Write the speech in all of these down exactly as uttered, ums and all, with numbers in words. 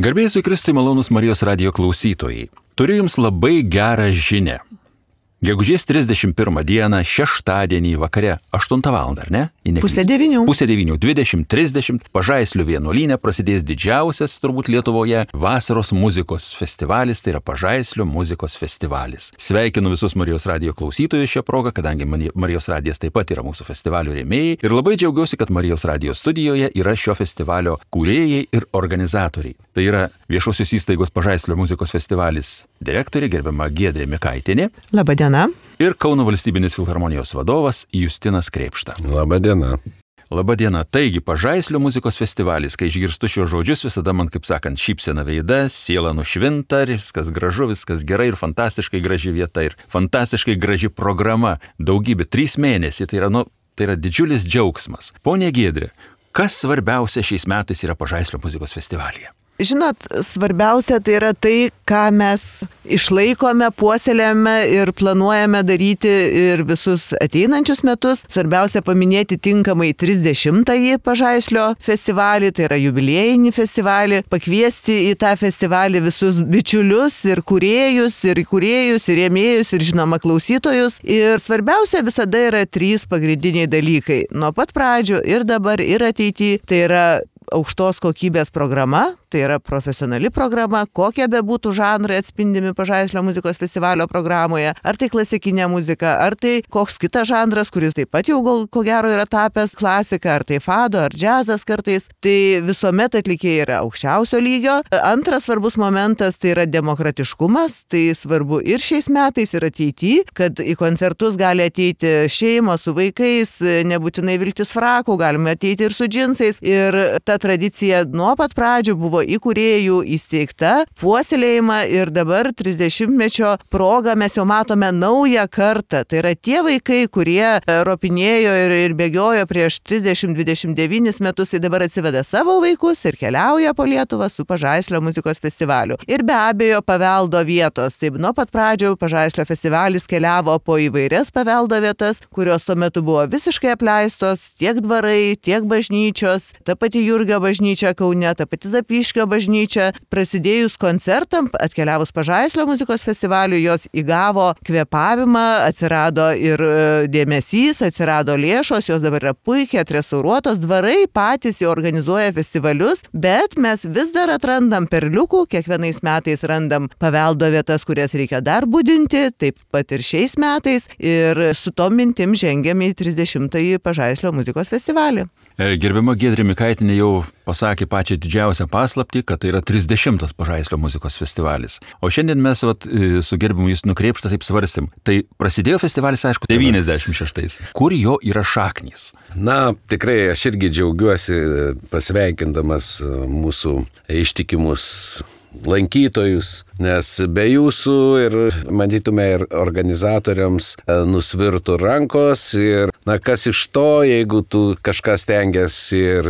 Garbė Jėzui Kristui, malonūs Marijos radijo klausytojai. Turiu jums labai gerą žinią. Gegužės trisdešimt pirmą dieną, šeštadienį vakare, aštuntą valandą, ar ne? Pusė devynių. Pusė devynių, dvidešimt trisdešimt, Pažaislio vienuolyne prasidės didžiausias, turbūt Lietuvoje, vasaros muzikos festivalis, tai yra Pažaislio muzikos festivalis. Sveikinu visus Marijos radijo klausytojus šią progą, kadangi Marijos radijas taip pat yra mūsų festivalio rėmėjai. Ir labai džiaugiuosi, kad Marijos radijo studijoje yra šio festivalio kūrėjai ir organizatoriai. Tai yra viešosios įstaigos Pažaislio muzikos festivalis direktorė, gerbiama Giedrė Mikaitienė. Labadiena. Ir Kauno valstybinės filharmonijos vadovas Justinas Krėpšta. Labadiena. Labadiena. Taigi, Pažaislio muzikos festivalis, kai išgirstu šios žodžius, visada man, kaip sakant, šypsena veida, siela nušvinta, viskas gražu, viskas gerai ir fantastiškai graži vieta ir fantastiškai graži programa. Daugybė, trys mėnesiai, tai yra, nu, tai yra didžiulis džiaugsmas. Pone Giedrė, kas svarbiausia šiais metais yra Pažaislio muzikos festivalyje? Žinot, svarbiausia tai yra tai, ką mes išlaikome, puoselėjame ir planuojame daryti ir visus ateinančius metus. Svarbiausia paminėti tinkamai trisdešimtąjį Pažaislio festivalį, tai yra jubiliejinį festivalį, pakviesti į tą festivalį visus bičiulius ir kūrėjus, ir kūrėjus, ir rėmėjus, ir žinoma klausytojus. Ir svarbiausia visada yra trys pagrindiniai dalykai. Nuo pat pradžių ir dabar, ir ateityje, tai yra aukštos kokybės programa, tai yra profesionali programa, kokie bebūtų žanrai atspindimi Pažaislio muzikos festivalio programoje, ar tai klasikinė muzika, ar tai koks kitas žanras, kuris taip pat jau gal, ko gero yra tapęs klasika, ar tai fado, ar džiazas kartais, tai visuomet atlikėjai yra aukščiausio lygio. Antras svarbus momentas tai yra demokratiškumas, tai svarbu ir šiais metais, ir ateityje, kad į koncertus gali ateiti šeimos su vaikais, nebūtinai vilktis frakų, galime ateiti ir su džinsais, ir ta tradicija nuo pat pradžių buvo įkūrėjų įsteigta, puoselėjama ir dabar trisdešimtmečio proga mes jau matome naują kartą. Tai yra tie vaikai, kurie ropinėjo ir, ir bėgiojo prieš trisdešimt dvidešimt devynis metus, tai dabar atsiveda savo vaikus ir keliauja po Lietuvą su Pažaislio muzikos festivaliu. Ir be abejo paveldo vietos. Taip, nuo pat pradžių Pažaislio festivalis keliavo po įvairias paveldo vietas, kurios tuo metu buvo visiškai apleistos, tiek dvarai, tiek bažnyčios, ta pati Jurgio bažnyčia Kaune, ta pati Zapyškio bažnyčia. Prasidėjus koncertam, atkeliavus Pažaislio muzikos festivaliui, jos įgavo kvėpavimą, atsirado ir dėmesys, atsirado lėšos, jos dabar yra puikiai atrestauruotos, dvarai patys jau organizuoja festivalius, bet mes vis dar atrandam perliukų, kiekvienais metais randam paveldo vietas, kurias reikia dar budinti, taip pat ir šiais metais, ir su tom mintim žengiame į trisdešimtąjį Pažaislio muzikos festivalį. Gerbiama Giedrė Mikaitienė jau pasakė pačią didžiausią paslaptį, kad tai yra trisdešimtas Pažaislio muzikos festivalis. O šiandien mes vat, su gerbiamu Justinu Krėpšta taip svarstėm. Tai prasidėjo festivalis, aišku, devyniasdešimt šeštais. Kur jo yra šaknys? Na, tikrai aš irgi džiaugiuosi pasveikindamas mūsų ištikimus lankytojus, nes be jūsų ir matytume ir organizatoriams nusvirtų rankos ir na kas iš to, jeigu tu kažką stengiasi ir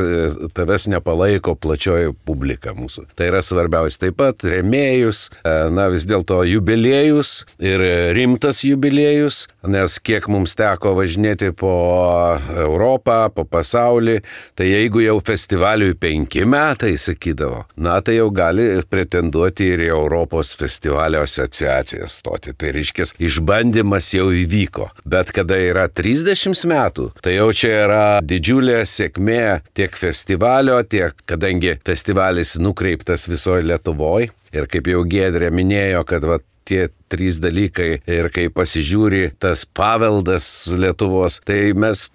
tavęs nepalaiko plačioji publika mūsų. Tai yra svarbiausia. Taip pat rėmėjus, na vis dėlto jubiliejus ir rimtas jubiliejus, nes kiek mums teko važinėti po Europą, po pasaulį, tai jeigu jau festivaliui penki metai, sakydavo, na tai jau gali pretenduoti ir į Europos festivalio asociaciją stoti. Tai reiškia, išbandymas jau įvyko. Bet kada yra trisdešimt metų, tai jau čia yra didžiulė sėkmė tiek festivalio, tiek kadangi festivalis nukreiptas visoje Lietuvoje. Ir kaip jau Giedrė minėjo, kad va, tie trys dalykai ir kai pasižiūri tas paveldas Lietuvos, tai mes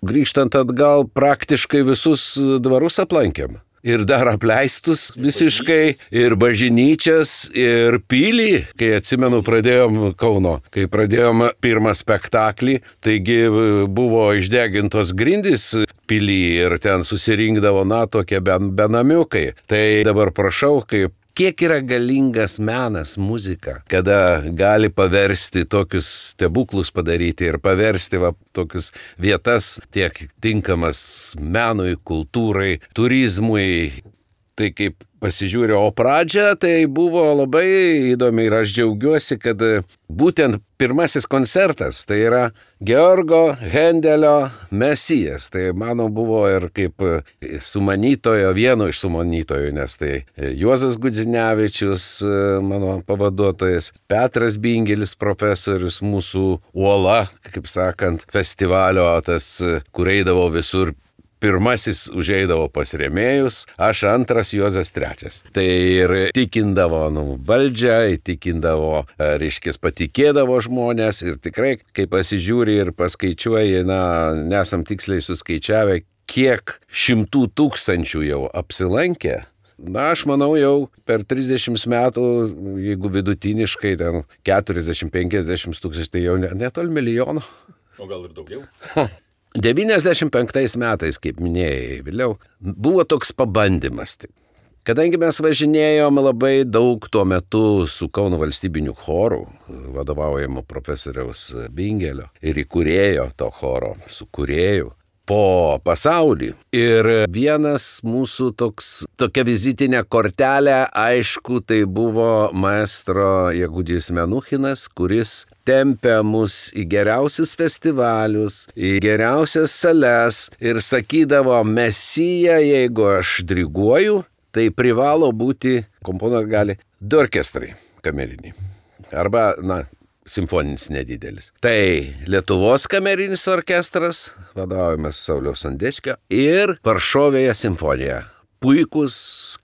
grįžtant atgal praktiškai visus dvarus aplankėm. Ir dar apleistus visiškai, ir bažnyčias, ir pilį, kai atsimenu pradėjom Kauno, kai pradėjom pirmą spektaklį, taigi buvo išdegintos grindys pilį ir ten susirinkdavo, na, tokie benamiukai. Tai dabar prašau, kaip kiek yra galingas menas, muzika, kada gali paversti tokius stebuklus padaryti ir paversti va, tokius vietas tiek tinkamas menui, kultūrai, turizmui, Tai kaip pasižiūrėjau, o pradžia tai buvo labai įdomi ir aš džiaugiuosi, kad būtent pirmasis koncertas tai yra Georgo Hendelio Mesijas. Tai mano buvo ir kaip sumanytojo, vieno iš sumanytojų, nes tai Juozas Gudzinevičius, mano pavaduotojas, Petras Bingelis, profesorius, mūsų uola, kaip sakant, festivalio, tas, kur eidavo visur. Pirmasis užeidavo pas rėmėjus, aš antras, Juozas trečias. Tai ir tikindavo nu, valdžią, įtikindavo, reiškia, patikėdavo žmonės ir tikrai, kai pasižiūri ir paskaičiuoji, na, nesam tiksliai suskaičiavę, kiek šimtų tūkstančių jau apsilankė. Na, aš manau, jau per trisdešimt metų, jeigu vidutiniškai ten keturiasdešimt penkiasdešimt tūkstančių, tai jau netol milijono. O gal ir daugiau? devyniasdešimt penktais metais, kaip minėjai, vėliau, buvo toks pabandymas. Kadangi mes važinėjom labai daug tuo metu su Kauno valstybiniu choru, vadovaujamo profesoriaus Bingelio ir įkūrėjo to choro, sukūrėjų, po pasaulį. Ir vienas mūsų toks, tokia vizitinė kortelė, aišku, tai buvo maestro Jegudijus Menuchinas, kuris tempė mus į geriausius festivalius, į geriausias sales ir sakydavo, Mesija, jeigu aš diriguoju, tai privalo būti, komponuot gali, du orkestrai kameriniai. Arba, na, simfoninis nedidelis. Tai Lietuvos kamerinis orkestras, vadovaujamas Sauliaus Sondeckio, ir Varšovėje simfonija. Puikus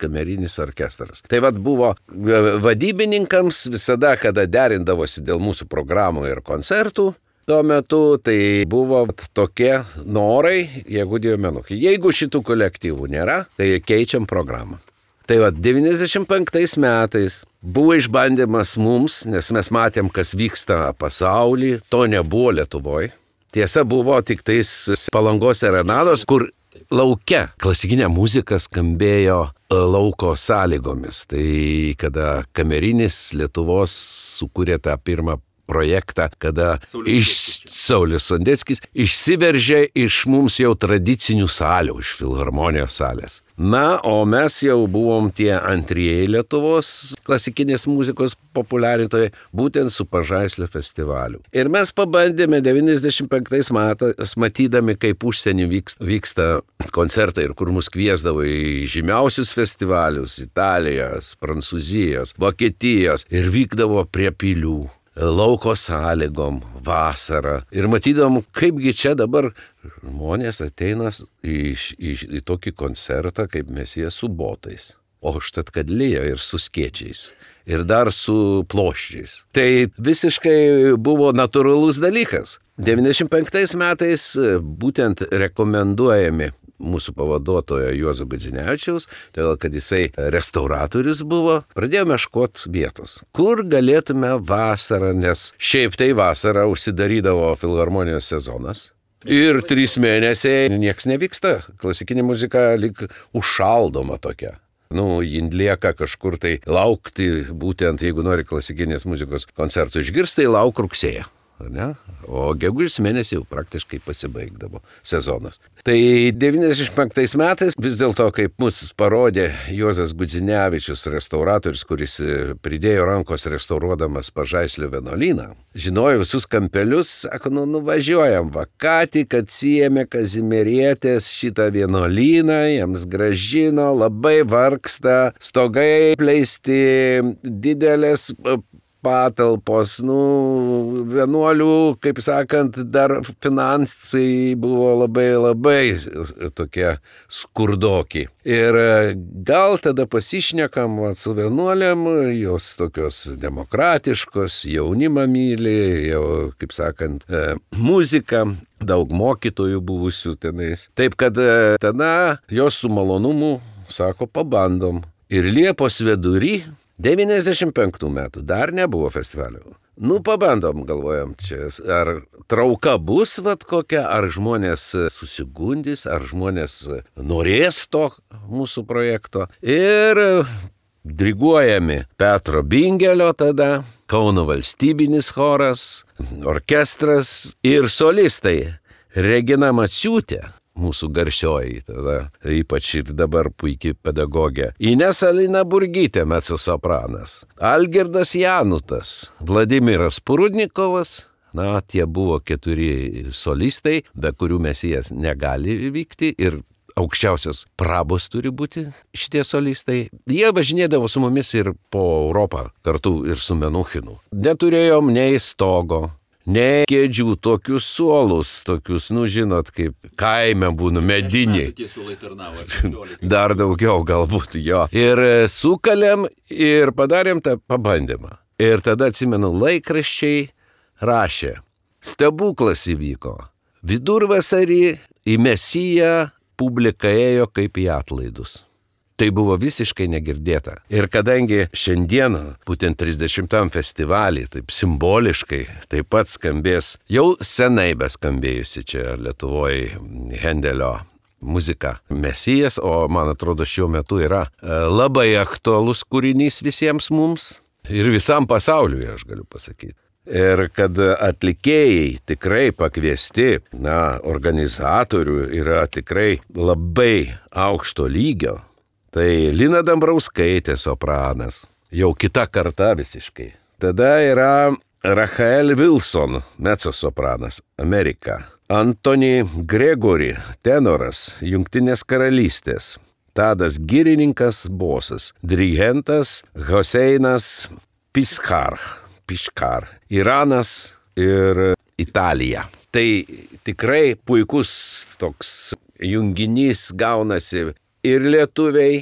kamerinis orkestras. Tai vad buvo vadybininkams visada, kada derindavosi dėl mūsų programų ir koncertų, tuo metu tai buvo tokie norai, jeigu Dievo Menuchį. Jeigu šitų kolektyvų nėra, tai keičiam programą. Tai vad devyniasdešimt penktais metais buvo išbandymas mums, nes mes matėm, kas vyksta pasaulyje, to nebuvo Lietuvoje. Tiesa, buvo tik tais Palangos serenados, kur lauke klasikinė muzika skambėjo lauko sąlygomis. Tai kada kamerinis Lietuvos sukūrė tą pirmą projektą, kada iš Saulius Sondeckis išsiveržė iš mums jau tradicinių salių, iš filharmonijos salės. Na, o mes jau buvom tie antrieji Lietuvos klasikinės muzikos populiarintojai, būtent su Pažaislio festivaliu. Ir mes pabandėme devyniasdešimt penktais metais, matydami, kaip užsienį vyksta, vyksta koncertai ir kur mus kviesdavo į žymiausius festivalius Italijos, Prancūzijos, Vokietijos ir vykdavo prie pilių. Lauko sąlygom, vasarą. Ir matydom, kaipgi čia dabar žmonės ateina į, į, į tokį koncertą, kaip Mesija su botais. O štat kad lyja ir su skėčiais. Ir dar su ploščiais. Tai visiškai buvo natūralus dalykas. devyniasdešimt penktais metais būtent rekomenduojami mūsų pavaduotojo Juozo Gudzinevičiaus, todėl kad jisai restauratorius buvo, pradėjome ieškoti vietos, kur galėtume vasarą, nes šiaip tai vasarą užsidarydavo filharmonijos sezonas. Ir trys mėnesiai nieks nevyksta, klasikinė muzika lyg užšaldoma tokia. Nu, jin lieka kažkur tai laukti, būtent jeigu nori klasikinės muzikos koncertų išgirsti, tai lauk rugsėją. Ne? O gegužės mėnesį jau praktiškai pasibaigdavo sezonas. Tai devyniasdešimt penktais metais vis dėlto, kaip mus parodė Juozas Gudzinevičius, restauratorius, kuris pridėjo rankos restauruodamas Pažaislio vienuolyną, žinojo visus kampelius, sako, nu nuvažiuojam, va, ką tik atsiėmė Kazimierietės šitą vienuolyną, jiems gražino, labai vargsta, stogai pleisti, didelės patalpos, nu, vienuolių, kaip sakant, dar finansai buvo labai labai tokie skurdoki. Ir gal tada pasišnekam su vienuolėm, jos tokios demokratiškos, jaunimą myli, jau, kaip sakant, muzika, daug mokytojų buvusių tenais. Taip, kad tada jos su malonumu sako, pabandom. Ir Liepos vidury devyniasdešimt penktų metų dar nebuvo festivalio. Nu, pabandom, galvojam, čia ar trauka bus vat kokia, ar žmonės susigundys, ar žmonės norės to mūsų projekto. Ir diriguojami Petro Bingelio tada, Kauno valstybinis choras, orkestras ir solistai Regina Maciūtė, mūsų garsioji, tada ypač ir dabar puikiai pedagogė. Inesa Linaburgytė, mecosopranas. Algirdas Janutas, Vladimiras Prudnikovas. Na, tie buvo keturi solistai, be kurių Mesijas negali vykti ir aukščiausios prabos turi būti šitie solistai. Jie važinėdavo su mumis ir po Europą, kartu ir su Menuchinu. Neturėjom nei stogo, nei kėdžių, tokius suolus, tokius, nu žinot, kaip kaime būna mediniai. Dar daugiau galbūt jo. Ir sukalėm ir padarėm tą pabandymą. Ir tada atsimenu, laikraščiai rašė, stebuklas įvyko. Vidurvasarį į Mesiją publika ėjo kaip į atlaidus. Tai buvo visiškai negirdėta. Ir kadangi šiandieną, būtent trisdešimtam festivalį, taip simboliškai, taip pat skambės, jau senai beskambėjusi čia Lietuvoje Hendelio muzika Mesijas, o man atrodo šiuo metu yra labai aktualus kūrinys visiems mums ir visam pasauliui, aš galiu pasakyti. Ir kad atlikėjai tikrai pakviesti, na, organizatorių yra tikrai labai aukšto lygio. Tai Lina Dambrauskaitė sopranas, jau kita karta visiškai. Tada yra Rachael Wilson, mecosopranas, Amerika. Antony Gregory, tenoras, Jungtinės karalystės. Tadas Girininkas, bosas. Dirigentas Hoseinas Piskar. Piškar, Iranas ir Italija. Tai tikrai puikus toks junginys gaunasi ir lietuviai,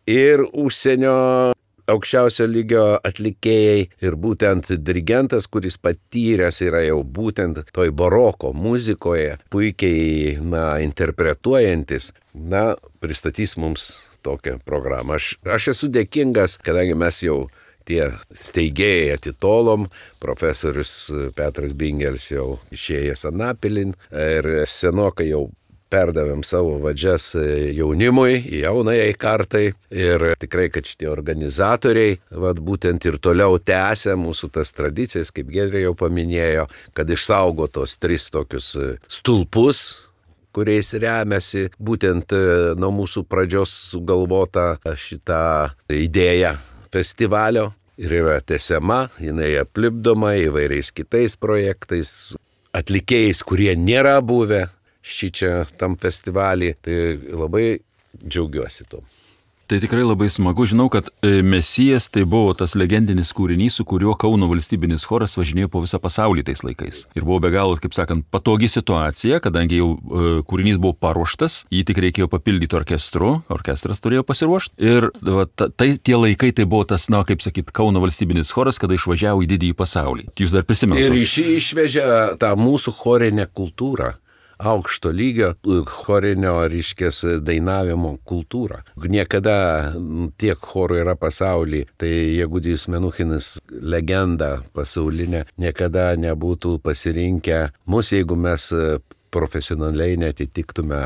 ir užsienio aukščiausio lygio atlikėjai, ir būtent dirigentas, kuris patyręs yra jau būtent toj baroko muzikoje, puikiai, na, interpretuojantis, na, pristatys mums tokią programą. Aš, aš esu dėkingas, kadangi mes jau tie steigėjai atitolom, profesorius Petras Bingelis jau išėjęs anapilin ir senokai jau perdavėm savo vadžias jaunimui, jaunajai kartai ir tikrai, kad šitie organizatoriai, vat, būtent ir toliau tęsia mūsų tas tradicijas, kaip Giedrė jau paminėjo, kad išsaugo tos tris tokius stulpus, kuriais remiasi būtent nuo mūsų pradžios sugalvota šitą idėją festivalio. Ir yra tęsiama, jinai aplipdoma įvairiais kitais projektais, atlikėjais, kurie nėra buvę šičia tam festivalį. Tai labai džiaugiuosi tuo. Tai tikrai labai smagu. Žinau, kad Mesijas tai buvo tas legendinis kūrinys, su kuriuo Kauno valstybinis choras važinėjo po visą pasaulį tais laikais. Ir buvo be galo, kaip sakant, patogi situacija, kadangi jau kūrinys buvo paruoštas, jį tik reikėjo papildyti orkestru, orkestras turėjo pasiruošti. Ir va, tai tie laikai tai buvo tas, na, kaip sakyt, Kauno valstybinis choras, kada išvažiavo į didįjį pasaulį. Jūs dar prisimenate? Ir iš, išvežė tą mūsų chorinę kultūrą. Aukšto lygio chorinio, reiškės, dainavimo kultūrą. Niekada tiek chorų yra pasaulyje, tai Jegudijus Menuchinas, legenda pasaulinė, niekada nebūtų pasirinkę mus, jeigu mes profesionaliai netitiktume.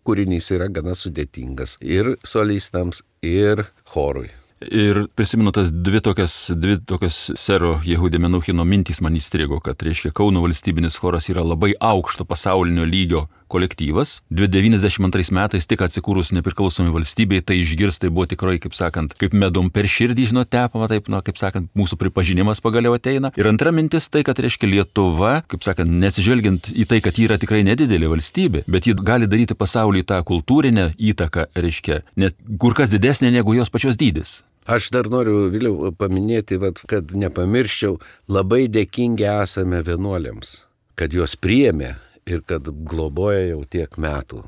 Kūrinys yra gana sudėtingas ir solistams, ir chorui. Ir prisimenu tas dvi tokias, dvi tokias sero Jehudė Menuchino mintys man įstrigo, kad, reiškia, Kauno valstybinis choras yra labai aukšto pasaulinio lygio kolektyvas. devyniasdešimt antrais metais tik atsikūrus nepriklausomai valstybei, tai išgirs, tai buvo tikrai, kaip sakant, kaip medum per širdį, žinot, tepama, taip, nu, kaip sakant, mūsų pripažinimas pagaliau ateina. Ir antra mintis tai, kad, reiškia, Lietuva, kaip sakant, neatsižvelgiant į tai, kad ji yra tikrai nedidelė valstybė, bet ji gali daryti pasaulyje tą kultūrinę įtaką, reiškia, net kur kas didesnė negu jos pačios dydis. Aš dar noriu vėliau paminėti, vat, kad nepamirščiau, labai dėkingi esame vienuoliams, kad juos priėmė ir kad globoja jau tiek metų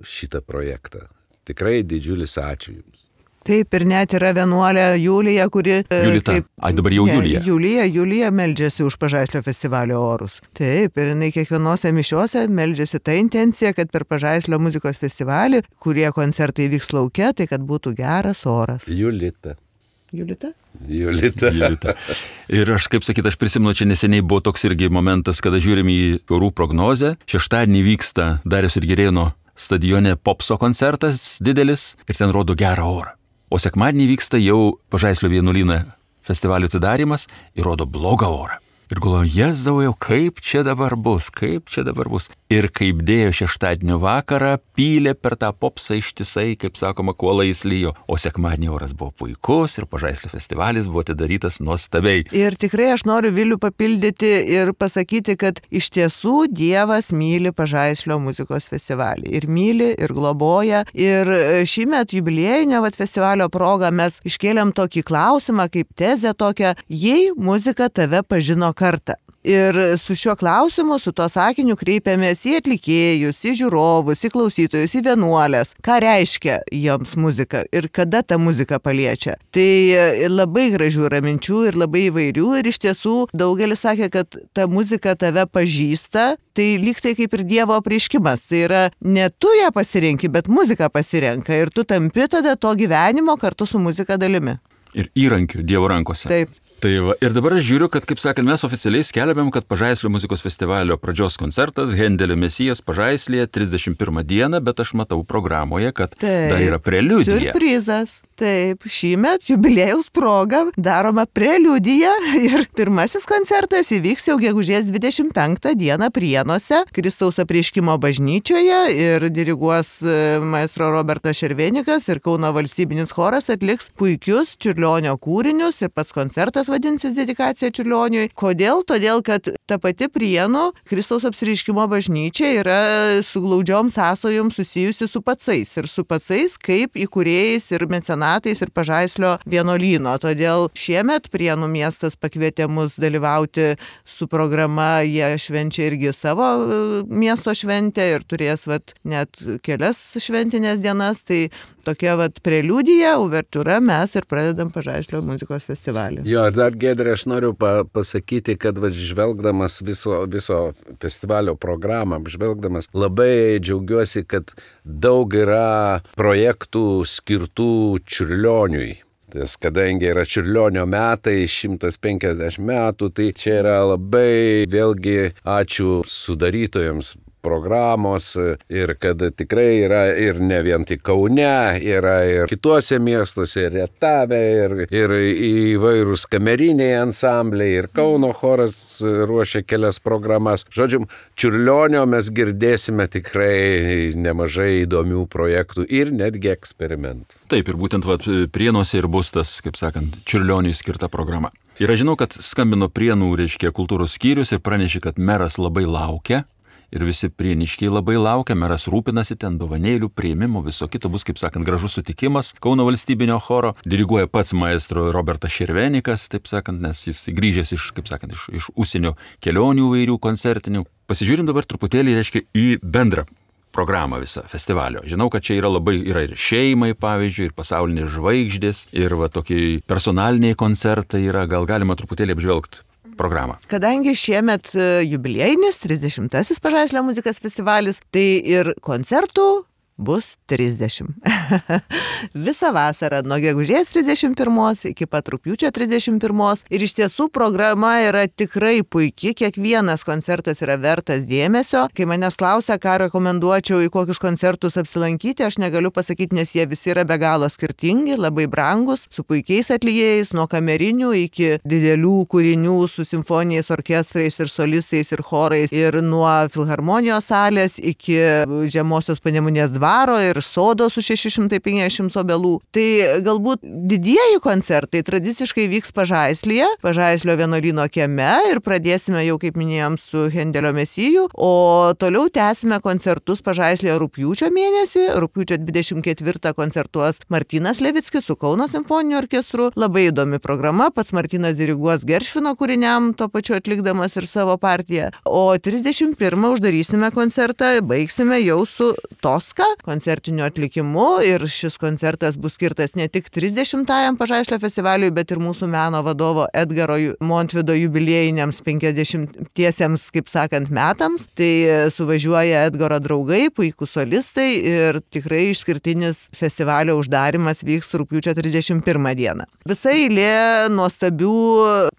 šitą projektą. Tikrai didžiulis ačiū Jums. Taip, ir net yra vienuolė Julija, kuri... Julita, kaip, ai dabar jau ne, Julija. Julija, Julija meldžiasi už Pažaislio festivalio orus. Taip, ir jinai kiekvienose mišiuose meldžiasi tą intenciją, kad per Pažaislio muzikos festivalį, kurie koncertai vyks lauke, tai kad būtų geras oras. Julita. Julita? Julita. Julita. Ir aš, kaip sakyt, aš prisimenu, čia neseniai buvo toks irgi momentas, kada žiūrim į orų prognozę. Šeštadienį vyksta Dariaus ir Girėno stadione popso koncertas didelis ir ten rodo gerą orą. O sekmadienį vyksta jau Pažaislio vienuolyne festivalio atidarymas ir rodo blogą orą. Ir galvoju, Jėzau, jau kaip čia dabar bus, kaip čia dabar bus. Ir kaip dėjo šeštadienio vakarą, pylė per tą popsą ištisai, kaip sakoma, kuolais lyjo. O sekmadienį oras buvo puikus ir Pažaislio festivalis buvo atidarytas nuostabiai. Ir tikrai aš noriu Vilių papildyti ir pasakyti, kad iš tiesų Dievas myli Pažaislio muzikos festivalį. Ir myli, ir globoja. Ir šįmet jubiliejinio vat, festivalio proga mes iškėlėm tokį klausimą, kaip tezę tokią, jei muzika tave pažino kartą. Ir su šiuo klausimu, su to sakiniu kreipiamės į atlikėjus, į žiūrovus, į klausytojus, į vienuolės. Ką reiškia joms muzika ir kada ta muzika paliečia. Tai labai gražių yra minčių ir labai įvairių ir iš tiesų daugelis sakė, kad ta muzika tave pažįsta, tai lyg tai kaip ir Dievo apreiškimas. Tai yra ne tu ją pasirenki, bet muzika pasirenka ir tu tampi tada to gyvenimo kartu su muzika dalimi. Ir įrankių Dievo rankose. Taip. Tai va, ir dabar aš žiūriu, kad, kaip sakant, mes oficialiai skelbiam, kad Pažaislio muzikos festivalio pradžios koncertas Hendelio Mesijas Pažaislyje trisdešimt pirmą dieną, bet aš matau programoje, kad Taip, dar yra preliudija. Siurprizas. Taip, šįmet jubiliejaus proga daroma preliudija ir pirmasis koncertas įvyks jau gegužės dvidešimt penktą dieną Prienuose, Kristaus apreiškimo bažnyčioje ir diriguos maestro Robertas Šervenikas ir Kauno valstybinis choras atliks puikius Čiurlionio kūrinius ir pats koncertas vadinsis dedikacija Čiurlioniui. Kodėl? Todėl, kad ta pati Prienų Kristaus apreiškimo bažnyčia yra su glaudžiom sąsajom susijusi su pacais ir su pacais kaip įkūrėjais ir mecenatais ir Pažaislio vienuolyno. Todėl šiemet Prienų miestas pakvietė mus dalyvauti su programa, jie švenčia irgi savo miesto šventę ir turės vat, net kelias šventinės dienas. Tai tokia vat preliudija, uvertiūra, mes ir pradedam Pažaislio muzikos festivalį. Jo, ir dar Giedrė, aš noriu pa, pasakyti, kad va, žvelgdamas viso, viso festivalio programą, žvelgdamas labai džiaugiuosi, kad daug yra projektų skirtų Čiurlioniui. Tas, kadangi yra Čiurlionio metai, šimtas penkiasdešimt metų, tai čia yra labai vėlgi ačiū sudarytojams programos ir kad tikrai yra ir ne vien tik Kaune, yra ir kituose miestuose, ir Rietave, ir, ir įvairūs kameriniai ansambliai, ir Kauno choras ruošia kelias programas. Žodžiu, Čiurlionio mes girdėsime tikrai nemažai įdomių projektų ir netgi eksperimentų. Taip, ir būtent vat, Prienuose ir bus tas, kaip sakant, Čiurlioniui skirta programa. Ir aš žinau, kad skambino Prienų, reiškia, kultūros skyrius ir pranešė, kad meras labai laukia. Ir visi prieniškiai labai laukia, meras rūpinasi ten dovanėlių, prieimimo, viso kito bus, kaip sakant, gražus sutikimas Kauno valstybinio choro. Diriguoja pats maestro Robertas Šervenikas, taip sakant, nes jis grįžęs iš, kaip sakant, iš, iš užsienio kelionių vairių koncertinių. Pasižiūrim dabar truputėlį, reiškia, į bendrą programą visą festivalio. Žinau, kad čia yra labai, yra ir šeimai, pavyzdžiui, ir pasaulinės žvaigždės, ir va tokie personaliniai koncertai yra, gal galima truputėlį apžvelgti programą. Kadangi šiemet jubiliejinis trisdešimtasis Pažaislio muzikos festivalis, tai ir koncertų bus trisdešimt. Visą vasarą nuo gegužės trisdešimt pirmos iki pat rugpjūčio trisdešimt pirmos. Ir iš tiesų programa yra tikrai puiki, kiekvienas koncertas yra vertas dėmesio. Kai manęs klausia, ką rekomenduočiau, į kokius koncertus apsilankyti, aš negaliu pasakyti, nes jie visi yra be galo skirtingi, labai brangus, su puikiais atlikėjais, nuo kamerinių iki didelių kūrinių su simfoniniais orkestrais ir solistais ir chorais, ir nuo filharmonijos salės iki Žemosios Panemunės dvaro ir sodo su šeši šimtai penkiasdešimt obelų. Tai galbūt didieji koncertai tradiciškai vyks Pažaislyje, Pažaislio vienuolyno kieme ir pradėsime jau, kaip minėjom, su Hendelio Mesijų, o toliau tęsime koncertus Pažaislyje rugpjūčio mėnesį. Rugpjūčio dvidešimt ketvirtą koncertuos Martynas Levickis su Kauno simfoniniu orkestru. Labai įdomi programa, pats Martynas diriguos Geršvino kūriniam, tuo pačiu atlikdamas ir savo partiją. O trisdešimt pirmą uždarysime koncertą, baigsime jau su Toska koncertiniu atlikimu ir šis koncertas bus skirtas ne tik trisdešimtajam Pažaislio festivaliui, bet ir mūsų meno vadovo Edgaro Montvido jubiliejiniams penkiasdešimtiesiems, kaip sakant, metams. Tai suvažiuoja Edgaro draugai, puikūs solistai ir tikrai išskirtinis festivalio uždarimas vyks rugpjūčio trisdešimt pirmą dieną. Visa eilė nuostabių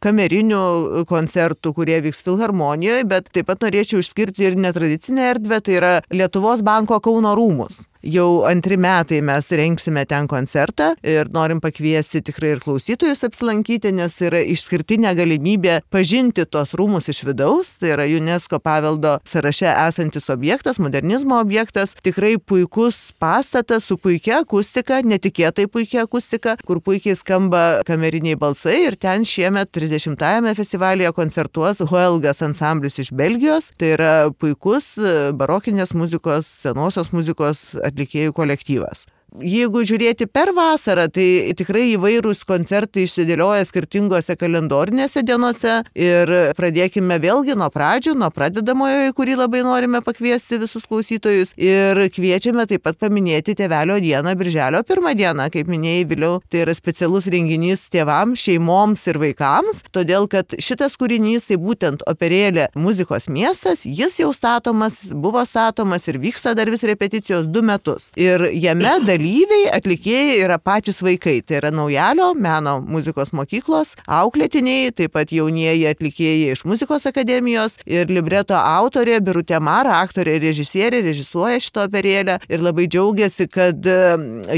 kamerinių koncertų, kurie vyks filharmonijoje, bet taip pat norėčiau išskirti ir netradicinę erdvę, tai yra Lietuvos banko Kauno rūmus. jau antri metai mes rengsime ten koncertą ir norim pakviesti tikrai ir klausytojus apsilankyti, nes tai yra išskirtinė galimybė pažinti tos rūmus iš vidaus. Tai yra UNESCO paveldo sąraše esantis objektas, modernizmo objektas, tikrai puikus pastatas su puikia akustika, netikėtai puikia akustika, kur puikiai skamba kameriniai balsai ir ten šiemet trisdešimtajame festivalyje koncertuos Huelgas ansamblis iš Belgijos. Tai yra puikus barokinės muzikos, senosios muzikos atlikėjų kolektyvas. Jeigu žiūrėti per vasarą, tai tikrai įvairūs koncertai išsidėlioja skirtingose kalendorinėse dienose ir pradėkime vėlgi nuo pradžių, nuo pradedamojo, į kurį labai norime pakviesti visus klausytojus ir kviečiame taip pat paminėti Tėvelio dieną, birželio pirmą dieną, kaip minėjai vėliau, tai yra specialus renginys tėvams, šeimoms ir vaikams, todėl kad šitas kūrinys, tai būtent operėlė Muzikos miestas, jis jau statomas, buvo statomas ir vyksta dar vis repeticijos du metus. Ir jame dalyvauja dalyviai, atlikėjai yra patys vaikai. Tai yra Naujalio meno muzikos mokyklos auklėtiniai, taip pat jaunieji atlikėjai iš muzikos akademijos ir libreto autorė Birutė Mara, aktorė ir režisierė, režisuoja šitą operėlę ir labai džiaugiasi, kad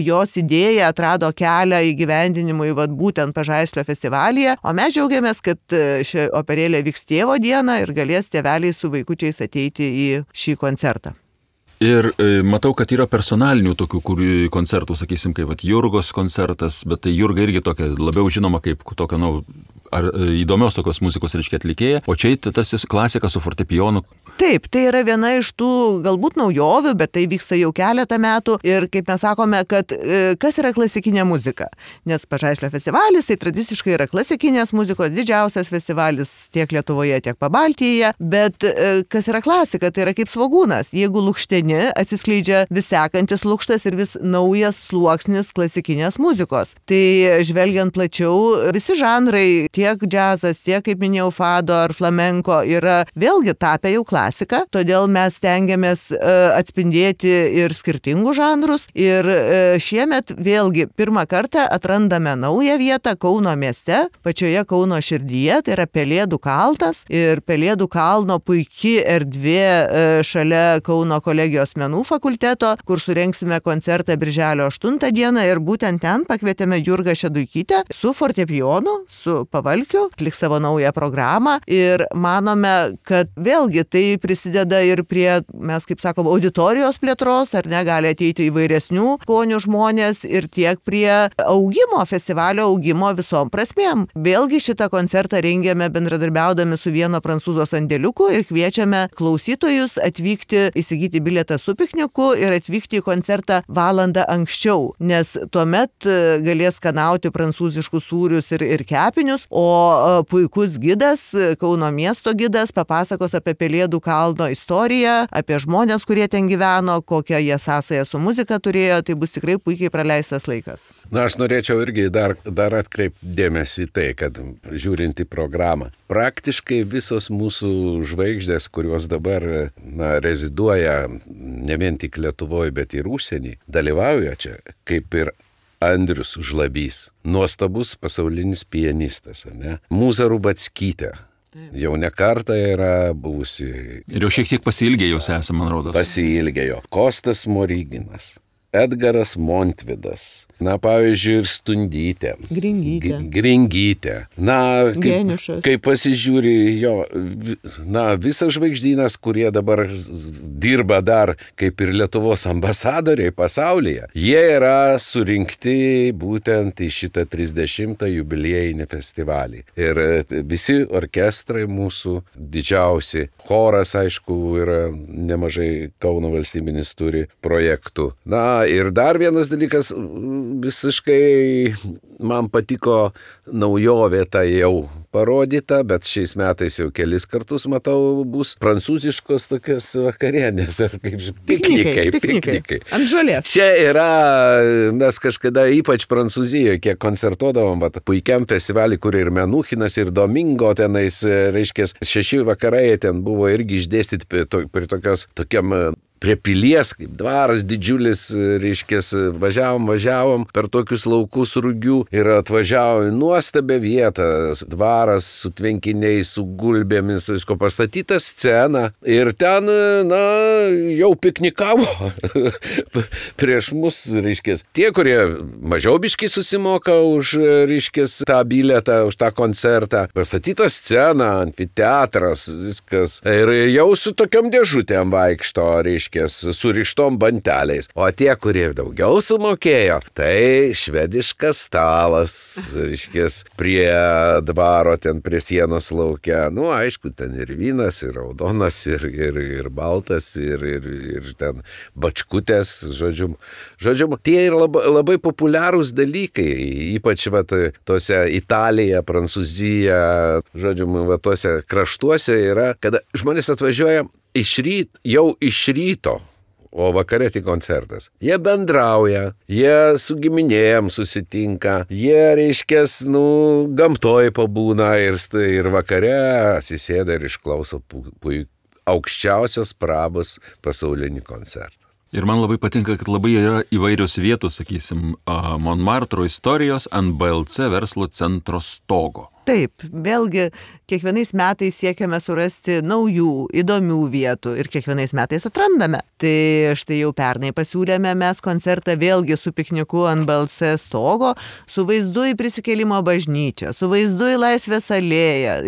jos idėja atrado kelią įgyvendinimui vat būtent Pažaislio festivalyje, o mes džiaugiamės, kad ši operėlė vyks tėvo dieną ir galės tėveliai su vaikučiais ateiti į šį koncertą. Ir e, matau, kad yra personalinių tokių kur, koncertų, sakysim, kaip vat, Jurgos koncertas, bet tai Jurga irgi tokia labiau žinoma kaip tokia, nu, ar, įdomios tokios muzikos, reiškia, atlikėja, o čia tas klasika su fortepijonu. Taip, tai yra viena iš tų galbūt naujovių, bet tai vyksta jau keletą metų ir kaip mes sakome, kad e, kas yra klasikinė muzika, nes Pažaislio festivalis tai tradiciškai yra klasikinės muzikos didžiausias festivalis tiek Lietuvoje, tiek Pabaltyje, bet e, kas yra klasika, tai yra kaip svogūnas, jeigu lukšteni, atsiskleidžia vis sekantis lukštas ir vis naujas sluoksnis klasikinės muzikos. Tai žvelgiant plačiau, visi žanrai, tiek džiazas, tiek, kaip minėjau, fado ar flamenko yra vėlgi tapę jau klasika. Klasika, todėl mes stengiamės uh, atspindėti ir skirtingus žanrus ir uh, šiemet vėlgi pirmą kartą atrandame naują vietą Kauno mieste, pačioje Kauno širdyje, tai yra Pelėdų kalnas ir Pelėdų kalno puiki erdvė uh, šalia Kauno kolegijos menų fakulteto, kur surengsime koncertą birželio aštuntą dieną ir būtent ten pakvietėme Jurgą Šeduikytę su fortepijonu, su pavalkiu, atliks savo naują programą ir manome, kad vėlgi tai prisideda ir prie, mes kaip sakom, auditorijos plėtros, ar ne, gali ateiti įvairesnių skonių žmonės ir tiek prie augimo, festivalio augimo visom prasmėm. Vėlgi šitą koncertą rengiame bendradarbiaudami su vieno prancūzo sandėliuku ir kviečiame klausytojus atvykti, įsigyti bilietą su pikniku ir atvykti į koncertą valandą anksčiau, nes tuomet galės skanauti prancūziškus sūrius ir, ir kepinius, o puikus gidas, Kauno miesto gidas, papasakos apie Pelėdų kalno istoriją, apie žmonės, kurie ten gyveno, kokią jie sąsają su muzika turėjo, tai bus tikrai puikiai praleistas laikas. Na, aš norėčiau irgi dar, dar atkreipti dėmesį į tai, kad žiūrint į programą, praktiškai visos mūsų žvaigždės, kurios dabar na, reziduoja ne vien tik Lietuvoje, bet ir užsienį, dalyvauja čia, kaip ir Andrius Žlabys, nuostabus pasaulinis pianistas, ne? Mūza Rubackytė. Jau ne kartą yra buvusi. Ir jau šiek tiek pasiilgėjus esame, man rodos. Pasiilgėjo. Kostas Smoriginas, Edgaras Montvidas, na, pavyzdžiui, ir Stundytė. Gringytė. Gringytė. Na, kaip, kaip pasižiūri, jo, na, visas žvaigždynas, kurie dabar dirba dar kaip ir Lietuvos ambasadoriai pasaulyje, jie yra surinkti būtent į šitą trisdešimtą jubiliejinį festivalį. Ir visi orkestrai mūsų didžiausi, choras, aišku, yra nemažai, Kauno valstybinis turi projektų. Na, ir dar vienas dalykas, visiškai man patiko naujovė ta jau parodyta, bet šiais metais jau kelis kartus matau, bus prancūziškos tokios vakarienės, ar kaip piknikai, piknikai. piknikai. Ant žolės. Čia yra, mes kažkada ypač Prancūzijoje, kiek koncertuodavom, bet puikiam festivalį, kur ir Menuchinas, ir Domingo tenais, reiškia, šeši vakarai ten buvo irgi išdėstyti prie tokios, tokiam prie pilies, kaip dvaras didžiulis, reiškės, važiavom, važiavom per tokius laukus Rugių ir atvažiavom į nuostabią vietą, dvaras su tvenkiniais, su gulbėmis, visko pastatyta scena ir ten, na, jau piknikavo prieš mus, reiškės, tie, kurie mažiau biškai susimoka už, reiškės, tą bilietą, už tą koncertą, pastatyta scena, amfiteatras, viskas, ir jau su tokiom dėžutėm vaikšto, reiškės, surištom banteliais, o tie, kurie daugiau sumokėjo, tai švediškas stalas, reiškės, prie dvaro, ten prie sienos laukia, nu, aišku, ten ir vynas, ir raudonas, ir, ir, ir baltas, ir, ir, ir ten bačkutės, žodžiu, žodžiu, tie yra labai, labai populiarūs dalykai, ypač, vat, tose Italija, Prancūzija, žodžiu, va, tose kraštuose yra, kada žmonės atvažiuoja iš ryt, jau iš ryto, o vakare tik koncertas. Jie bendrauja, jie su giminėjom susitinka, jie, reiškės, nu, gamtoj pabūna ir, ir vakare atsisėda ir išklauso puikiai aukščiausios prabos pasaulinį koncertą. Ir man labai patinka, kad labai yra įvairios vietos, sakysim, Monmartro istorijos ant B L C verslo centro stogo. Taip, vėlgi, kiekvienais metais siekiame surasti naujų, įdomių vietų ir kiekvienais metais atrandame. Tai štai jau pernai pasiūlėme mes koncertą vėlgi su pikniku ant B L C stogo, su vaizdu į Prisikėlimo bažnyčią, su vaizdu į Laisvės alėją,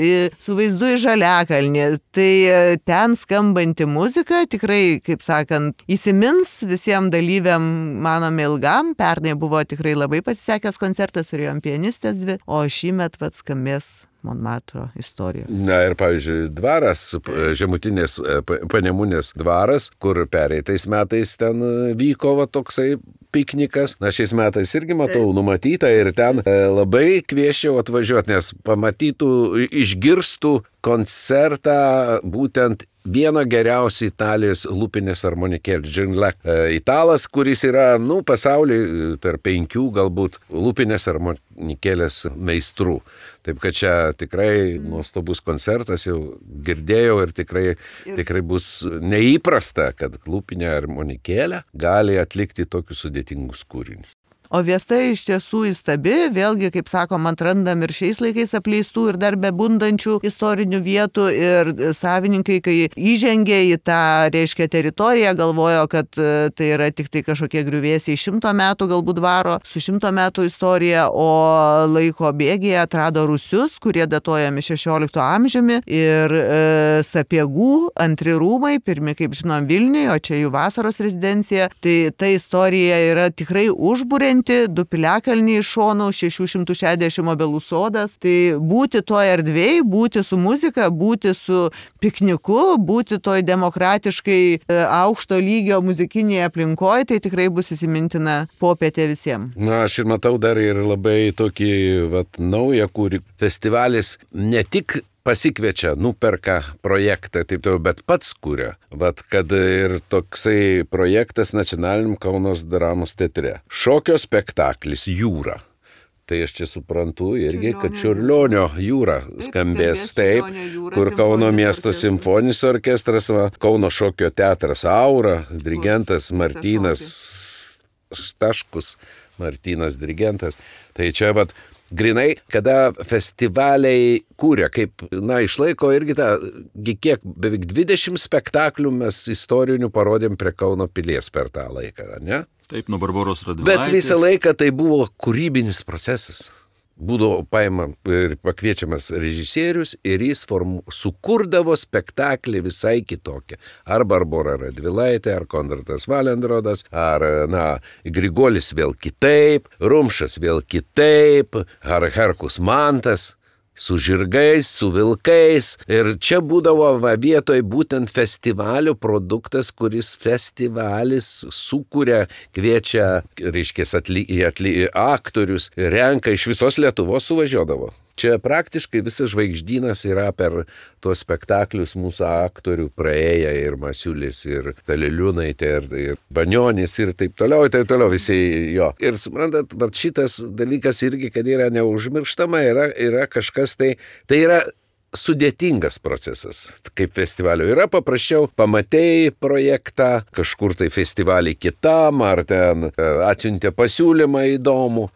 su vaizdu į Žaliakalnį. Tai ten skambanti muzika tikrai, kaip sakant, įsimins visiems dalyviam, manome, ilgam. Pernai buvo tikrai labai pasisekęs koncertas, turėjom pianistės dvi, o šįmet vat skambės Monmartro istorija. Na ir, pavyzdžiui, dvaras, žemutinės Panemunės dvaras, kur pereitais metais ten vyko va, toksai piknikas. Na, šiais metais irgi matau numatyta ir ten labai kvieščiau atvažiuoti, nes pamatytų, išgirstų koncertą būtent vieno geriausių Italijos lūpinės armonikėlės, Džinlek. Italas, kuris yra, nu, pasaulyje tarp penkių galbūt lūpinės armonikėlės meistrų. Taip kad čia tikrai nuostabus koncertas, jau girdėjau ir tikrai, tikrai bus neįprasta, kad lūpinė armonikėlė gali atlikti tokius sudėtingus kūrinius. O Viesta iš tiesų įstabi, vėlgi, kaip sakom, atrandam ir šiais laikais apleistų ir dar bebundančių istorinių vietų ir savininkai, kai įžengė į tą, reiškia, teritoriją, galvojo, kad tai yra tik tai kažkokie griuvėsiai šimto metų galbūt dvaro, su šimto metų istorija, o laiko bėgyje atrado rūsius, kurie datuojami šešiolikto amžiumi ir e, Sapiegų antri rūmai, pirmi, kaip žinom, Vilniuje, o čia jų vasaros rezidencija, tai ta istorija yra tikrai užburianti. Du piliakalniai iš šonų, šešių šimtų šešiasdešimt obelų sodas. Tai būti toj erdvėj, būti su muzika, būti su pikniku, būti toj demokratiškai aukšto lygio muzikinėje aplinkoje, tai tikrai bus įsimintina popietė visiems. Na, aš ir matau dar ir labai tokį vat, naują, kur festivalis ne tik pasikviečia, nuperka projektą, taip toliau, bet pats kuria. Vat, kad ir toksai projektas Nacionaliniam Kaunos dramos teatre. Šokio spektaklis Jūra. Tai aš čia suprantu irgi, kad Čiurlionio jūra skambės taip, kur Kauno miesto simfoninis orkestras, va, Kauno šokio teatras Aura, dirigentas Martynas Staškus, Martynas dirigentas. Tai čia vat, grinai, kada festivaliai kūrė, kaip, na, išlaiko irgi tą, kiek beveik dvidešimt spektaklių mes istorinių parodėm prie Kauno pilies per tą laiką, ne? Taip, nuo Barboros Radvilaitės. Bet visą laiką tai buvo kūrybinis procesas. Būdavo paima ir pakviečiamas režisierius ir jis formu, sukurdavo spektaklį visai kitokią. Ar Barbora Radvilaitė, ar Konradas Valendrodas, ar, na, Grigolis vėl kitaip, Rumšas vėl kitaip, ar Herkus Mantas. Su žirgais, su vilkais. Ir čia būdavo va, vietoj būtent festivalio produktas, kuris festivalis sukuria, kviečia, reiškia, atly, atly, aktorius, renka iš visos Lietuvos suvažiuodavo. Čia praktiškai visas žvaigždynas yra per tuos spektaklius mūsų aktorių praėję ir Masiulis, ir Taliliūnaitė, ir, ir Banionis, ir taip toliau, ir taip toliau visi jo. Ir suprantat, šitas dalykas irgi, kad yra neužmirštama, yra, yra kažkas tai, tai yra sudėtingas procesas, kaip festivalio. Yra paprasčiau, pamatėjai projektą, kažkur tai festivalį kitam, ar ten atsiuntė pasiūlymą įdomų.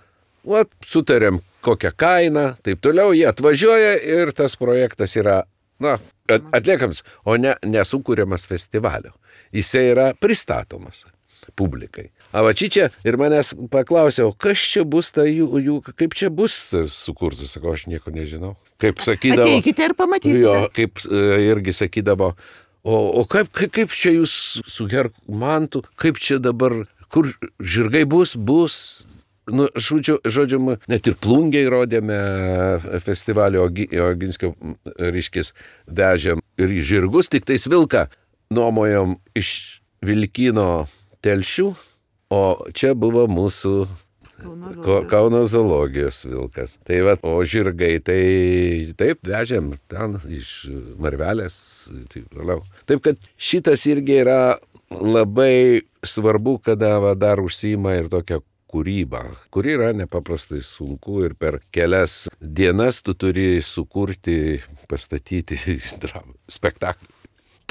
Vat, sutarėm kokią kainą, taip toliau, jie atvažiuoja ir tas projektas yra, na, atliekamas, o ne nesukūriamas festivalio. Jisai yra pristatomas publikai. A va čia ir manęs paklausė, o kas čia bus, ta jų, jų, kaip čia bus sukurtas, sakau, aš nieko nežinau. Kaip sakydavo, ateikite ir pamatysite. Jo, kaip irgi sakydavo, o, o kaip, kaip, kaip čia jūs su Hermantu, kaip čia dabar, kur žirgai bus, bus. Nu, žodžiu, žodžiu, net ir Plungiai rodėme festivalio Oginskio ryškis vežėm ir žirgus, tik tais vilką nuomojom iš Vilkino Telšių, o čia buvo mūsų Kauno, Kauno zoologijos vilkas. Tai va, o žirgai, tai taip vežėm ten iš Marvelės, taip toliau. Taip kad šitas irgi yra labai svarbu, kada va, dar užsiima ir tokia kūryba, kuri yra nepaprastai sunku ir per kelias dienas tu turi sukurti, pastatyti spektaklį.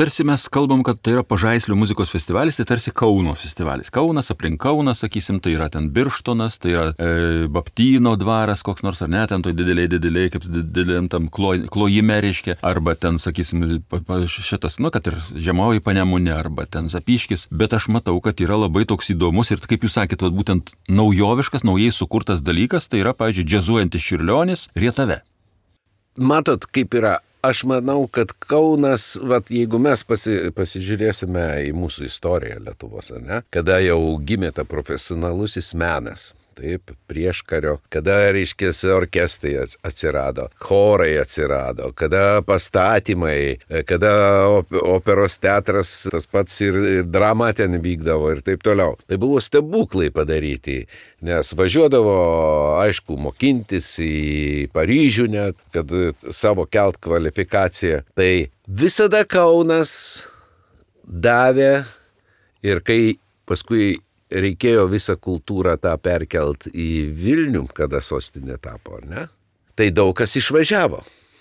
Tarsi mes kalbam, kad tai yra Pažaislio muzikos festivalis, tai tarsi Kauno festivalis. Kaunas, aplink Kauną, sakysim, tai yra ten Birštonas, tai yra e, Baptyno dvaras, koks nors ar ne, ten toj dideliai, dideliai, kaip dideliam tam kloj, klojime reiškia, arba ten, sakysim, šitas, nu, kad ir Žemoji Panemunė, arba ten Zapiškis, bet aš matau, kad yra labai toks įdomus ir, kaip jūs sakėte, būtent naujoviškas, naujai sukurtas dalykas, tai yra, pavyzdžiui, džiazuojantis Čiurlionis Rietave. Matot, kaip yra. Aš manau, kad Kaunas, vat, jeigu mes pasi, pasižiūrėsime į mūsų istoriją Lietuvos, ne, kada jau gimė ta profesionalusis menas, taip, prieškario, kada, reiškės, orkestrai atsirado, chorai atsirado, kada pastatymai, kada operos teatras, tas pats ir, ir drama ten vykdavo ir taip toliau. Tai buvo stebuklai padaryti, nes važiuodavo, aišku, mokintis į Paryžių net, kad savo kelt kvalifikaciją. Tai visada Kaunas davė ir kai paskui reikėjo visą kultūrą tą perkelt į Vilnių, kada sostinė tapo, ne? Tai daug kas išvažiavo,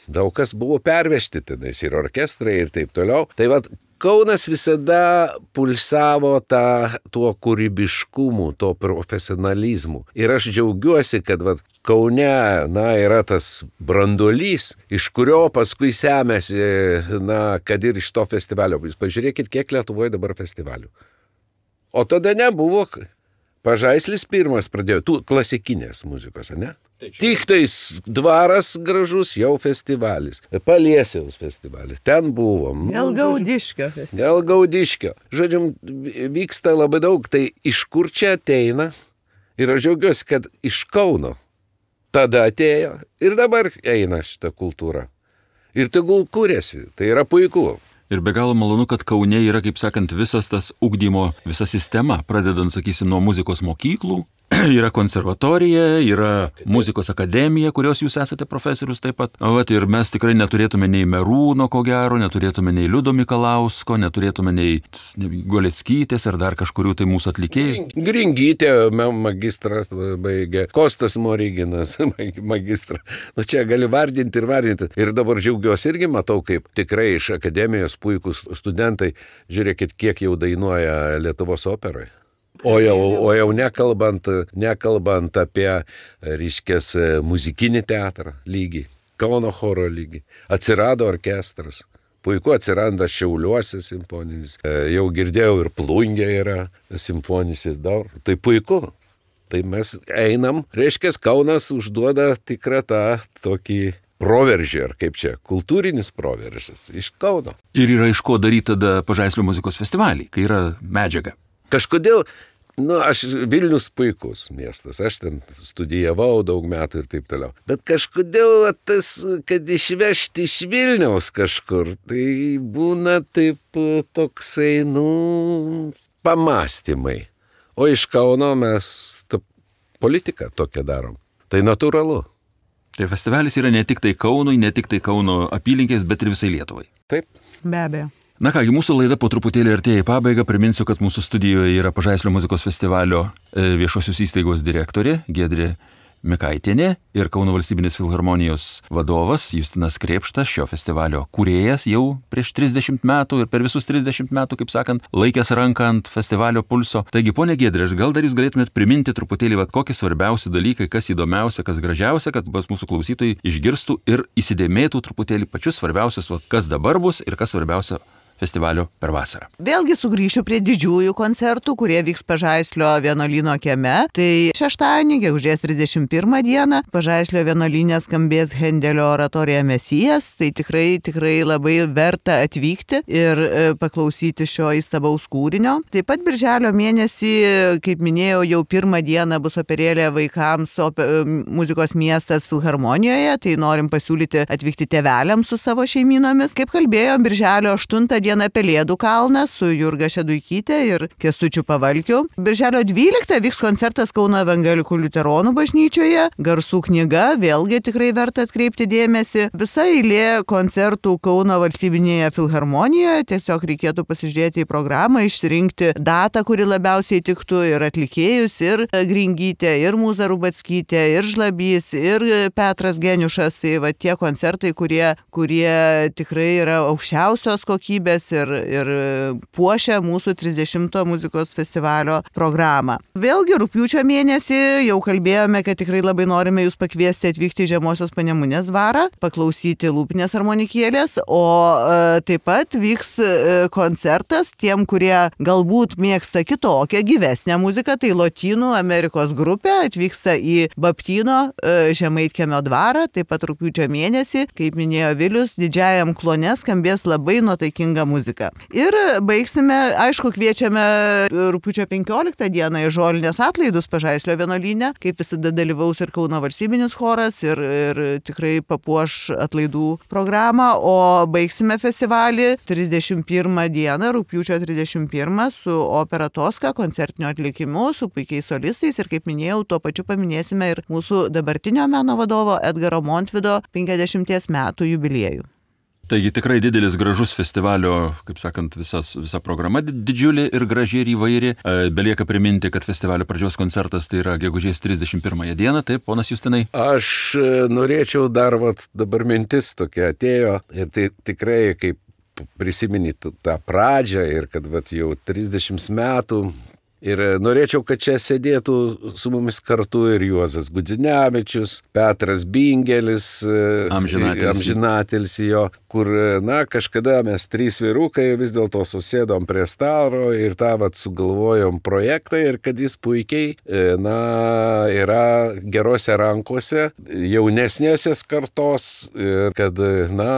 daug kas buvo pervežti tenais ir orkestrai ir taip toliau. Tai vat, Kaunas visada pulsavo tą, tuo kūrybiškumu, tuo profesionalizmu. Ir aš džiaugiuosi, kad vat, Kaune, na, yra tas branduolys, iš kurio paskui semėsi, na, kad ir iš to festivalio. Jūs pažiūrėkit, kiek Lietuvoje dabar festivalių. O tada nebuvo. Pažaislis pirmas pradėjo, tų klasikinės muzikos, ne? Tik tais dvaras gražus, jau festivalis. Paliesiaus festivalis. Ten buvom. Gelgaudiškio festivalis. Gelgaudiškio. Žodžiu, vyksta labai daug. Tai iš kur čia ateina? Ir aš džiaugiuosi, kad iš Kauno tada atėjo. Ir dabar eina šita kultūra. Ir tegul kūrėsi. Tai yra puiku. Ir be galo malonu, kad Kaune yra, kaip sakant, visas tas ugdymo, visa sistema, pradedant, sakysim, nuo muzikos mokyklų, yra konservatorija, yra muzikos akademija, kurios jūs esate profesorius taip pat. Vat, ir mes tikrai neturėtume nei Merūno, ko gero, neturėtume nei Liudo Mikalausko, neturėtume nei Goleckytės ar dar kažkurių tai mūsų atlikėjų. Gringytė magistrą baigė, Kostas Moriginas magistrą. Nu čia gali vardinti ir vardinti. Ir dabar džiaugiuosi irgi matau, kaip tikrai iš akademijos puikūs studentai, žiūrėkit, kiek jau dainuoja Lietuvos operoje. O jau, o jau nekalbant, nekalbant apie, reiškės, muzikinį teatrą lygį, Kauno choro lygį. Atsirado orkestras. Puiku, atsiranda Šiauliuose simfoninis. Jau girdėjau ir Plungė yra simfoninis ir dar. Tai puiku. Tai mes einam. Reiškės, Kaunas užduoda tikrą tą tokį proveržį, ar kaip čia, kultūrinis proveržis iš Kauno. Ir yra iš ko daryti tada Pažaislio muzikos festivalį, kai yra medžiaga. Kažkodėl, nu, aš Vilnius puikus miestas, aš ten studijavau daug metų ir taip toliau. Bet kažkodėl tas, kad išvežti iš Vilniaus kažkur, tai būna taip toksai, nu, pamastymai. O iš Kauno mes tą politiką tokią darom. Tai natūralu. Tai festivalis yra ne tik tai Kaunui, ne tik tai Kauno apylinkės, bet ir visai Lietuvai. Taip. Be abejo. Na kągi, mūsų laida po truputėlį artėja į pabaigą. Priminsiu, kad mūsų studijoje yra Pažaislio muzikos festivalio viešosios įstaigos direktorė Giedrė Mikaitienė ir Kauno valstybinės filharmonijos vadovas Justinas Krėpštas, šio festivalio kūrėjas jau prieš trisdešimt metų ir per visus trisdešimt metų, kaip sakant, laikęs ranką ant festivalio pulso. Taigi, ponė Giedrė, gal dar jūs galėtumėt priminti truputėlį, vat, kokie svarbiausi dalykai, kas įdomiausia, kas gražiausia, kad pas mūsų klausytojai išgirstų ir įsidėmėtų truputėlį pačius svarbiausius, vat, kas dabar bus ir kas svarbiausia festivalio per vasarą. Vėlgi sugrįšiu prie didžiųjų koncertų, kurie vyks Pažaislio vienuolyno kieme. Tai šeštadienį, gegužės trisdešimt pirmą dieną, Pažaislio vienuolyne skambės Hendelio oratorija Mesijas. Tai tikrai, tikrai labai verta atvykti ir e, paklausyti šio įstabaus kūrinio. Taip pat birželio mėnesį, kaip minėjau, jau pirmą dieną bus operėlė vaikams ope, muzikos miestas Filharmonijoje. Tai norim pasiūlyti atvykti tėveliams su savo šeimynomis. Kaip kalbėjom, birželio aštuntą dieną dieną Pelėdų kalnas su Jurga Šeduikytė ir Kęstučiu Pavalkiu. Birželio dvyliktą vyks koncertas Kauno evangelikų liuteronų bažnyčioje. Garsų knyga, vėlgi tikrai verta atkreipti dėmesį. Visa eilė koncertų Kauno valstybinėje filharmonijoje. Tiesiog reikėtų pasižiūrėti į programą, išsirinkti datą, kuri labiausiai tiktų ir atlikėjus, ir Gringytė, ir Mūza Rubackytė, ir Žlabys, ir Petras Geniušas. Tai va tie koncertai, kurie, kurie tikrai yra aukščiausios kokybės ir, ir puošia mūsų trisdešimto muzikos festivalio programą. Vėlgi rugpjūčio mėnesį jau kalbėjome, kad tikrai labai norime jūs pakviesti atvykti į Žemosios Panemunės dvarą, paklausyti lūpinės armonikėlės, o e, taip pat vyks e, koncertas tiem, kurie galbūt mėgsta kitokią, gyvesnę muziką, tai Lotynų Amerikos grupė atvyksta į Baptyno e, Žemaitkiemio dvarą, taip pat rugpjūčio mėnesį, kaip minėjo Vilius, didžiajam klone skambės labai nuotaikinga muzika. Ir baigsime, aišku, kviečiame rugpjūčio penkioliktą dieną į žolinės atlaidus Pažaislio vienuolyne, kaip visada dalyvaus ir Kauno valstybinis choras ir, ir tikrai papuoš atlaidų programą, o baigsime festivalį trisdešimt pirmą dieną, rugpjūčio trisdešimt pirmą su opera Toska koncertiniu atlikimu, su puikiais solistais ir, kaip minėjau, tuo pačiu paminėsime ir mūsų dabartinio meno vadovo Edgaro Montvido penkiasdešimties metų jubiliejų. Taigi tikrai didelis gražus festivalio, kaip sakant, visas, visa programa didžiulė ir graži ir įvairi. Belieka priminti, kad festivalio pradžios koncertas tai yra gegužės trisdešimt pirmąją dieną, taip, ponas Justinai? Aš norėčiau dar, vat, dabar mintis tokia atėjo ir tai tikrai, kaip prisiminti tą pradžią ir kad vat, jau trisdešimt metų. Ir norėčiau, kad čia sėdėtų su mumis kartu ir Juozas Gudzinevičius, Petras Bingelis, amžinatelis jo, kur, na, kažkada mes trys vyrukai vis dėlto susėdom prie stalo ir tą vat sugalvojom projektą ir kad jis puikiai, na, yra gerose rankose, jaunesnėsės kartos, kad, na,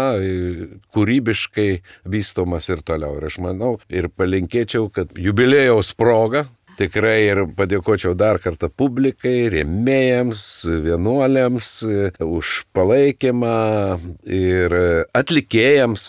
kūrybiškai vystomas ir toliau. Ir aš manau ir palinkėčiau, kad jubiliejaus proga tikrai ir padėkočiau dar kartą publikai, rėmėjams, vienuoliams už palaikymą ir atlikėjams.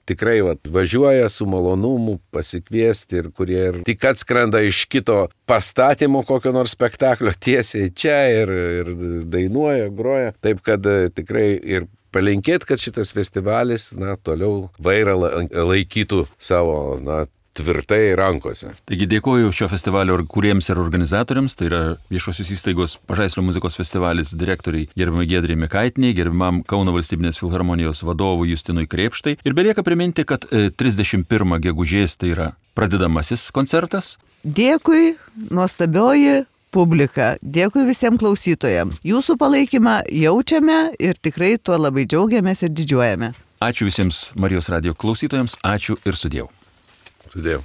Tikrai vat, važiuoja su malonumu pasikviesti ir kurie ir tik atskrenda iš kito pastatymo kokio nors spektaklio tiesiai čia ir, ir dainuoja, groja. Taip kad tikrai ir palinkėt, kad šitas festivalis, na, toliau vairą laikytų savo, na, tvirtai rankose. Taigi dėkoju šio festivalio kūrėjams ir organizatoriams, tai yra viešosios įstaigos Pažaislio muzikos festivalis direktoriai gerbiamai Giedrei Mikaitiniai, gerbiamam Kauno valstybinės filharmonijos vadovui Justinui Krėpštai. Ir belieka priminti, kad trisdešimt pirmą gegužės tai yra pradedamasis koncertas. Dėkui, nuostabioji publika. Dėkui visiems klausytojams. Jūsų palaikymą jaučiame ir tikrai tuo labai džiaugiamės ir didžiuojame. Ačiū visiems Marijos radijo klausytojams, ačiū ir sudiev. Sudėjau.